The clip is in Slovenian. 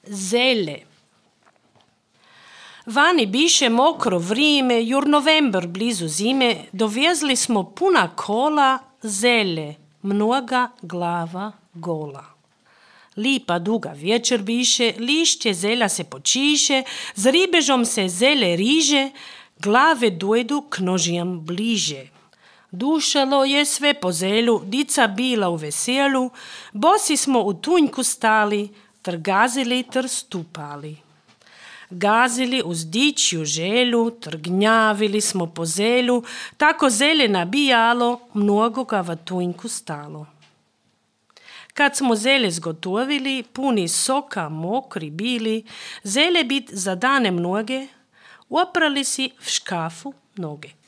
zelje. Vani biše mokro vrime, jur november blizu zime, dovezli smo puna kola zelje, mnoga glava gola. Lipa duga večer biše, lišće zelja se počiše, z ribežom se zelje riže, glave dojdu k nožijam bliže. Dušalo je sve po zelju, dica bila u veselu, bosi smo u tunjku stali, ter gazili ter stupali. Gazili uz dičju želju, ter gnjavili smo po zelju, tako zelje nabijalo, mnogo ga v tunjku stalo. Kad smo zelje zgotovili, puni soka, mokri bili, zelje bit za dane mnoge, oprali si v škafu noge.